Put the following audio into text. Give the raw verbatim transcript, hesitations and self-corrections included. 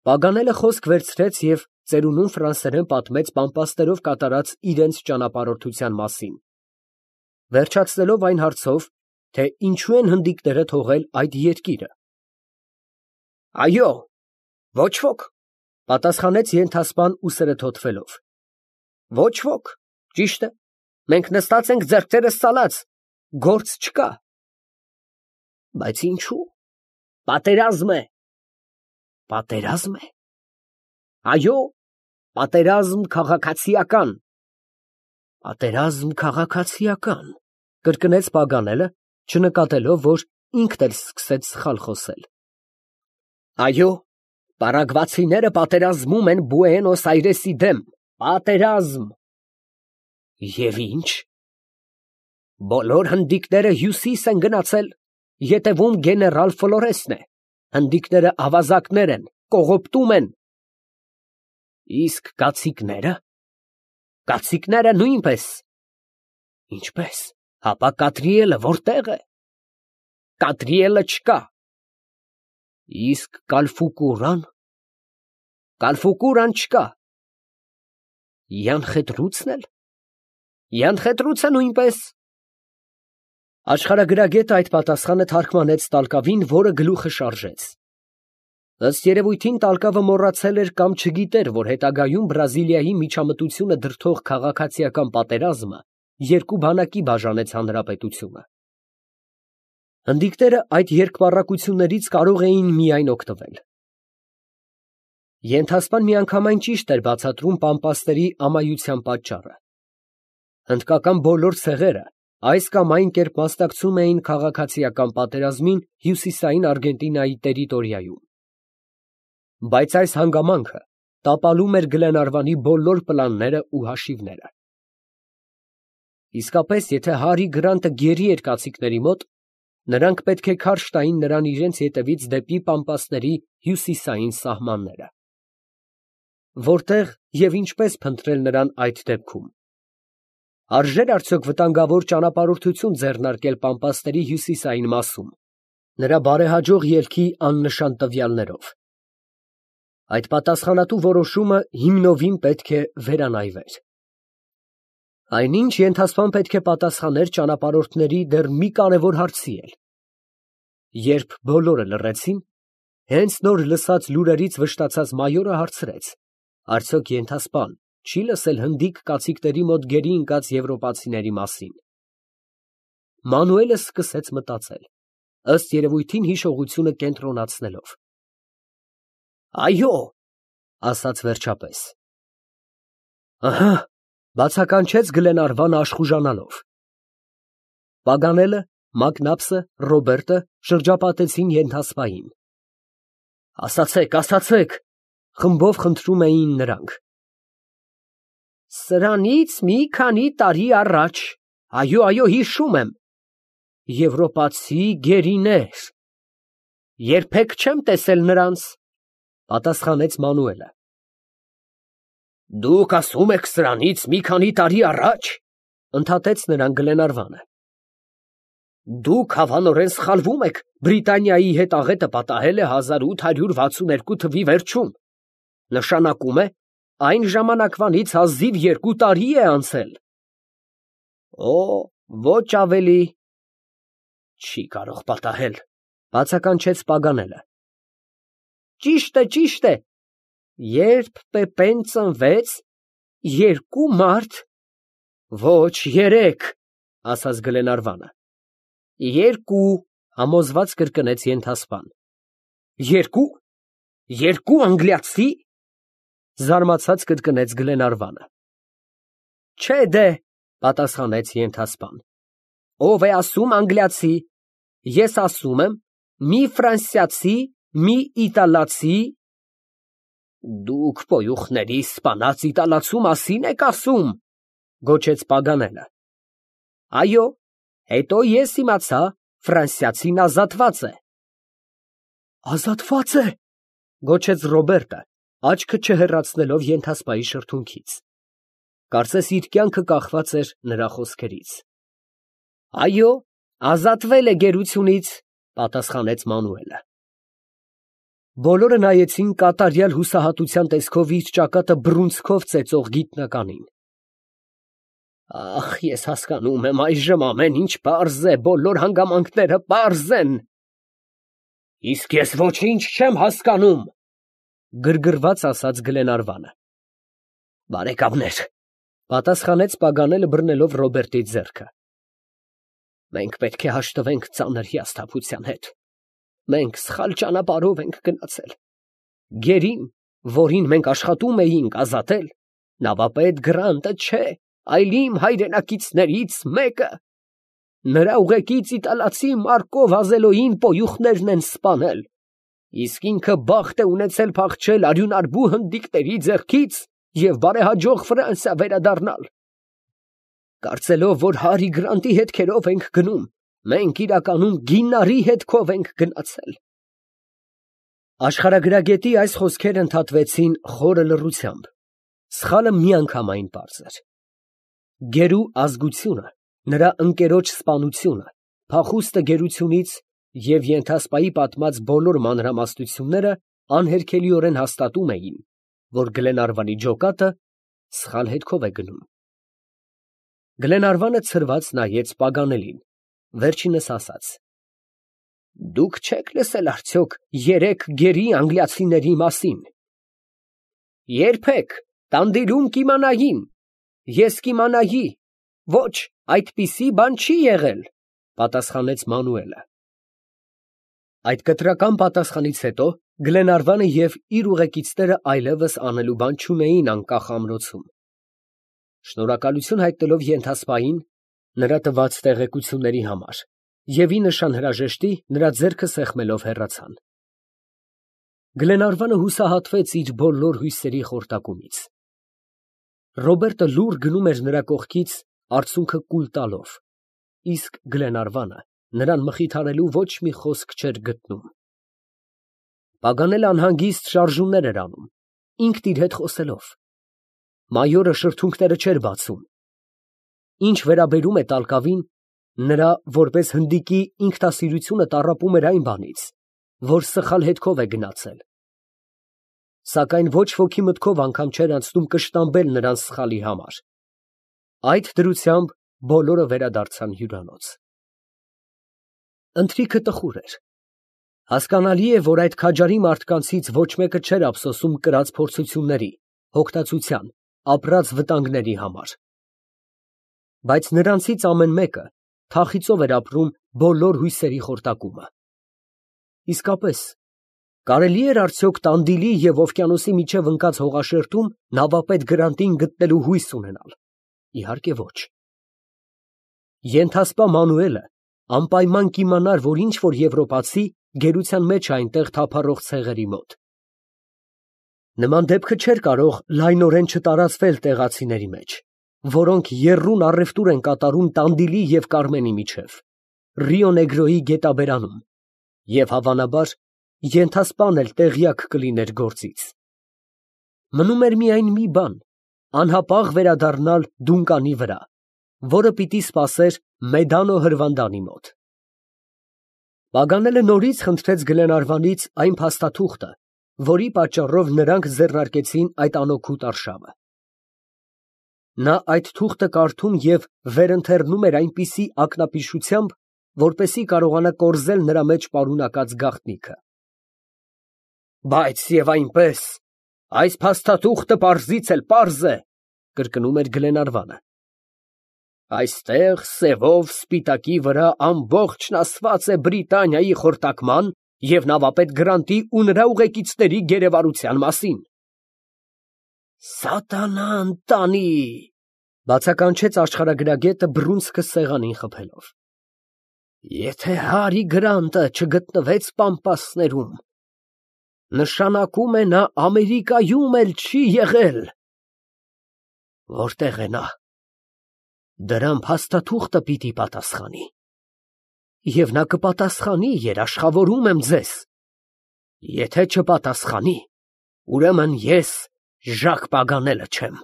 Պագանելը խոսք վերցրեց և ծերունուն ֆրանսերեն պատմեց պամպասներով կատարած իրենց ճանապարհորդության մասին, վերջացնելով այն հարցով, թե ինչո՞ւ են հնդիկները թողել այդ երկիրը։ ֊ Այո, ոչ ոք, ֊ պատասխանեց ենթասպան ուսերը թոթվելով, ֊ ոչ ոք, ճիշտ է, մենք նստած ենք ձեռքերս ծալած, գործ չկա։ ֊ Բայց ինչո՞ւ։ Պատերազմ է։ ֊ Պատերազմ է։ ֊ Այո, պատերազմ քաղաքացիական։ ֊ Պատերազմ քաղաքացիական, ֊ կրկնեց Պագանելը, չնկատելով, որ ինքն էլ սկսեց սխալ խոսել։ ֊ Այո, պարագվացիները պատերազմում են Բուենոս Այրեսի դեմ, պատերազմ։ ֊ Եվ ի՞նչ։ ֊ Բոլոր հնդիկները հյուսիս են գնացել, ետևում գեներալ Ֆլորեսն է, հնդիկները ավազակներ են, կողոպտում են։ ֊ Իսկ կացիկնե՞րը։ ֊ Կացիկները նույնպես։ ֊ Ինչպե՞ս, հապա Կադրիելը ո՞րտեղ է։ ֊ Կադրիելը չկա։ ֊ Իսկ Կալֆուկուրան։ ֊ Կալֆուկուրան չկա։ ֊ Յանխետրուցն էլ։ ֊ Յանխետրուցը նույնպես։ Աշխարհագրագետը այդ պատասխանը թարգմանեց տալկավին, որը գլուխը շարժեց։ Ըստ երևույթին տալկավը մոռացել էր կամ չգիտեր, որ հետագայում Բրազիլիայի միջամտությունը դրդող քաղաքացիական պատերազմը երկու բանակի բաժանեց հանրապետությունը։ Հնդիկները այդ երկպառակություններից կարող էին միայն օգտվել։ Ենթասպան միանգամայն ճիշտ էր բացատրում պամպասների ամայության պատճառը։ Հնդկական բոլոր ցեղերը այս կամ այն կերպ մասնակցում էին քաղաքացիական պատերազմին հյուսիսային Արգենտինայի տերիտորիայում։ Բայց այս հանգամանքը տապալում էր Գլենարվանի բոլոր պլանները ու հաշիվները։ Իսկապես, եթե Հարի Գրանտը գերի էր կացիկների մոտ, նրանք պետք է քարշ տային նրան իրենց ետևից դեպի պամպասների հյուսիսային սահմանները։ Որտեղ և ինչպես փնտրել նրան այդ դեպքում։ Արժե՞ր արդյոք վտանգավոր ճանապարհորդություն ձեռնարկել պամպասների հյուսիսային մասում, նրա բարեհաջող ելքի աննշան տվյալներով։ Այդ պատասխանատու որոշումը հիմնովին պետք է վերանայվեր։ Այնինչ ենթասպան պետք է պատասխաներ ճանապարհորդների դեռ մի կարևոր հարցի էլ։ Երբ բոլորը լռեցին, հենց նոր լսած լուրերից վշտացած մայորը հարցրեց. արդյոք ենթասպան չի՞ լսել հնդիկ կացիկների մոտ գերի ընկած եվրոպացիների մասին։ Մանուելը սկսեց մտածել, ըստ երևույթին հիշողությունը կենտրոնացնելով։ Այո, ասաց վերջապես։ Ահա, բացականչեց Գլենարվանը աշխուժանալով։ Պագանելը, Մակնապսը, Ռոբերտը շրջապատեցին ենթասպային։ Ասացեք, ասացեք, խմբով խնդրում էին նրանք։ Սրանից մի քանի տարի առաջ, այո, այո, հիշում եմ, եվրոպացի գերիներ։ Երբեք չեմ տեսել նրանց, պատասխանեց Մանուելը։ Դուք ասում եք սրանից մի քանի տարի առաջ, ընդհատեց նրան Գլենարվանը։ Դուք հավանորեն սխալվում եք, Բրիտանիայի հետ աղետը պատահել է հազար ութ հարյուր վաթսուն երկու թվականի վերջում, նշանակում է, այն ժամանակվանից հազիվ երկու տարի է անցել։ Օ, ոչ ավելի։ Չի կարող պատահել, բացականչեց Պագանելը։ Ճիշտ է, ճիշտ է, երբ Պեպեն ծնվեց, երկու մարդ։ Ոչ, երեք, ասաց Գլենարվանը։ Երկու, համոզված կրկնեց ենթասպան։ Երկու, երկու անգլիացի, զարմացած կրկնեց Գլենարվանը։ Չէ դե, պատասխանեց ենթասպան։ Ով է ասում անգլիացի, ես ասում եմ, մի ֆրանսիացի, մի իտալացի։ Դուք պոյուխների սպանած իտալացու մասին եք ասում, գոչեց Պագանելը։ Այո, հետո ես իմացա, ֆրանսիացին ազատված է։ Ազատված է, գոչեց Ռոբերտը, աչքը չհեռացնելով ենթասպայի շրթունքից։ Կարծես իր կյանքը կախված էր նրա խոսքերից։ Այո, ազատվել է գերությունից, պատասխանեց Մանուելը։ Բոլորը նայեցին կատարյալ հուսահատության տեսքով իր ճակատը բռունցքով ծեծող գիտնականին։ Ախ, ես հասկանում եմ այժմ ամեն ինչ պարզ է, բոլոր հանգամանքները պարզ են։ Իսկ ես ոչինչ չեմ հասկանում, գրգռված ասաց Գլենարվանը։ Բարեկամներ, պատասխանեց Պագանելը բռնելով Ռոբերտի ձեռքը։ Մենք պետք է հաշտվենք ծանր հիասթափության հետ։ Մենք սխալ ճանապարհով ենք գնացել։ Գերին, որին մենք աշխատում էինք ազատել, նավապետ Գրանտը չէ, այլ իմ հայրենակիցներից մեկը։ Նրա ուղեկից իտալացի Մարկո Վազելոյին պոյուխներն են սպանել, իսկ ինքը բախտ է ունեցել փախչել արյունարբու հնդիկների ձեռքից և բարեհաջող Ֆրանսիա վերադառնալ։ Կարծելով, որ Հարի Գրանտի հետքերով ենք գնում, մենք իրականում գիննարի հետքով ենք գնացել։ Աշխարհագրագետի այս խոսքերը ընդհատվեցին խորը լռությամբ։ Սխալը միանգամայն պարզ էր։ Գերու ազգությունը, նրա ընկերոջ սպանությունը, փախուստը գերությունից և ենթասպայի պատմած բոլոր մանրամասնությունները անհերքելիորեն հաստատում էին, որ Գլենարվանի ջոկատը սխալ հետքով է գնում։ Գլենարվանը ցրված նայեց Պագանելին, վերջինս ասաց. Դուք չեք լսել արդյոք երեք գերի անգլիացիների մասին։ Երբեք, տանտիրում կիմանային, ես կիմանայի, ոչ, այդպիսի բան չի եղել, պատասխանեց Մանուելը։ Այդ կտրական պատասխանից հետո Գլենարվանը և իր ուղեկիցները այլևս անելու բան չունեին անկախ ամրոցում։ Շնորհակալություն հայտնելով ենթասպային նրա տված տեղեկությունների համար և ի նշան հրաժեշտի նրա ձեռքը սեղմելով հեռացան։ Գլենարվանը հուսահատվեց իր բոլոր հույսերի խորտակումից։ Ռոբերտը լուռ գնում էր նրա կողքից արցունքը կուլ տալով, իսկ Գլենարվանը նրան մխիթարելու ոչ մի խոսք չէր գտնում։ Պագանելը անհանգիստ շարժումներ էր անում, ինքն իր հետ խոսելով։ Մայորը շրթունքները չէր բացում։ Ինչ վերաբերում է տալկավին, նրա որպես հնդիկի ինքնասիրությունը տառապում էր այն բանից, որ սխալ հետքով է գնացել։ Սակայն ոչ ոքի մտքով անգամ չէր անցնում կշտամբել նրան սխալի համար։ Այդ դրությամբ բոլորը վերադարձան հյուրանոց։ Ընթրիքը տխուր էր։ Հասկանալի է, որ այդ քաջարի մարդկանցից ոչ մեկը չէր ափսոսում կրած փորձությունների, հոգտացության, ապրած վտանգների համար։ Բայց նրանցից ամեն մեկը թախիծով էր ապրում բոլոր հույսերի խորտակումը։ Իսկապես, կարելի էր արդյոք Տանդիլի և օվկիանոսի միջև ընկած հողաշերտում նավապետ Գրանտին գտնելու հույս ունենալ։ Իհարկե ոչ։ Ենթասպա Մանուելը անպայման կիմանար, որ ինչ որ եվրոպացի գերության մեջ է այնտեղ թափառող ցեղերի մոտ։ Նման դեպքը չէր կարող լայնորեն չտարածվել տեղացիների մեջ, որոնք եռուն առևտուր են կատարում Տանդիլի և Կարմենի միջև, Ռիո Նեգրոյի գետաբերանում, և հավանաբար ենթասպան էլ տեղյակ կլիներ գործից։ Մնում էր միայն մի բան, անհապաղ վերադառնալ Դունկանի վրա, որը պիտի սպասեր Մեդանո հրվանդանի մոտ։ Պագանելը նորից խնդրեց Գլենարվանից այն փաստաթուղթը, որի պատճառով նրանք ձեռնարկեցին այդ անօգուտ արշավը։ Նա այդ թուղթը կարդում և վերընթերնում էր այնպիսի ակնապիշությամբ, որպեսզի կարողանա կորզել նրա մեջ պարունակած գաղտնիքը։ Բայց և այնպես, այս փաստաթուղթը պարզից էլ պարզ է, կրկնում էր Գլենարվանը։ Այստեղ սևով սպիտակի վրա ամբողջն ասված է Բրիտանիայի խորտակման և նավապետ Գրանտի ու նրա ուղեկիցների գերեվարության մասին։ Սատանա ընտանի, բացականչեց աշխարհագրագետը բռունցքը սեղանին խփելով։ Եթե Հարի Գրանտը չգտնվեց Պամպասներում, նշանակում է նա Ամերիկայում էլ չի եղել։ Որտե՞ղ է նա։ Դրան փաստաթուղթը պիտի պատասխանի։ Եվ նա կպատասխանի, երաշխավորում եմ ձեզ։ Եթե չպատասխանի, ուրեմն ես Ժակ Պագանելը չեմ։